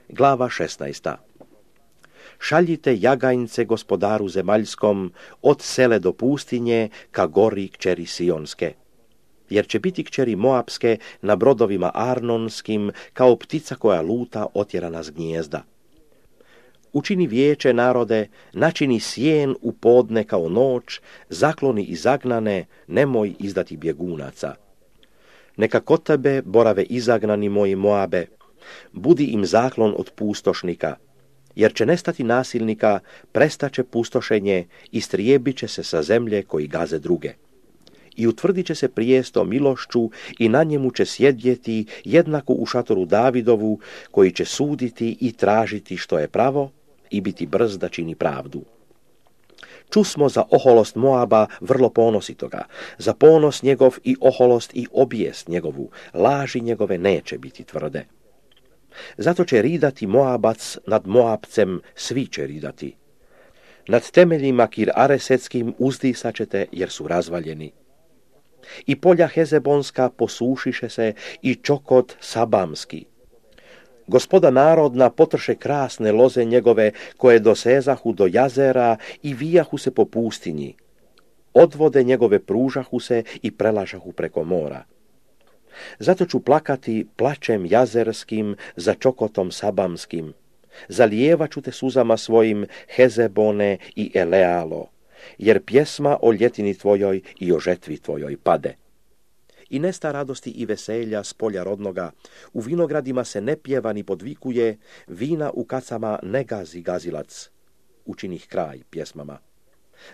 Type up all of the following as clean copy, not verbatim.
Glava 16. Šaljite jagajnce gospodaru zemaljskom od sele do pustinje ka gori kćeri Sionske. Jer će biti kćeri Moapske na brodovima Arnonskim kao ptica koja luta otjerana s gnijezda. Učini vijeće narode, načini sjen u podne kao noć, zakloni i zagnane, nemoj izdati bjegunaca. Neka kod tebe borave izagnani moji Moabe, budi im zaklon od pustošnika, jer će nestati nasilnika, prestaće pustošenje, istrijebit će se sa zemlje koji gaze druge. I utvrdit će se prijesto milošću i na njemu će sjedjeti jednako u šatoru Davidovu, koji će suditi i tražiti što je pravo i biti brz da čini pravdu. Čusmo za oholost Moaba vrlo ponositoga, za ponos njegov i oholost i obijest njegovu, laži njegove neće biti tvrde. Zato će ridati Moabac nad Moabcem, svi će ridati. Nad temeljima Kir Aresetskim uzdisat ćete jer su razvaljeni. I polja Hezebonska posušiše se i čokot Sabamski. Gospoda narodna potrše krasne loze njegove koje dosezahu do jazera i vijahu se po pustinji. Odvode njegove pružahu se i prelažahu preko mora. Zato ću plakati plačem jazerskim za čokotom Sabamskim. Zalijevat ću te suzama svojim Hezebone i Elealo, jer pjesma o ljetini tvojoj i o žetvi tvojoj pade. I nesta radosti i veselja s polja rodnoga, u vinogradima se ne pjeva ni podvikuje, vina u kacama ne gazi gazilac, učinih kraj pjesmama.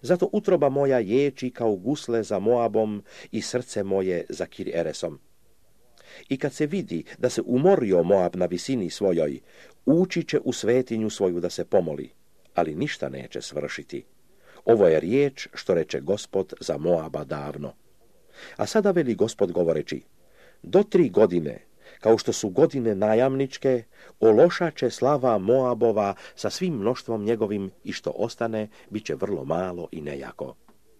Zato utroba moja ječi kao gusle za Moabom i srce moje za Kir Eresom. I kad se vidi da se umorio Moab na visini svojoj, ući će u svetinju svoju da se pomoli, ali ništa neće svršiti. Ovo je riječ što reče Gospod za Moaba davno. A sada veli Gospod govoreći, do 3 godine, kao što su godine najamničke, ološat će slava Moabova sa svim mnoštvom njegovim i što ostane, bit će vrlo malo i nejako.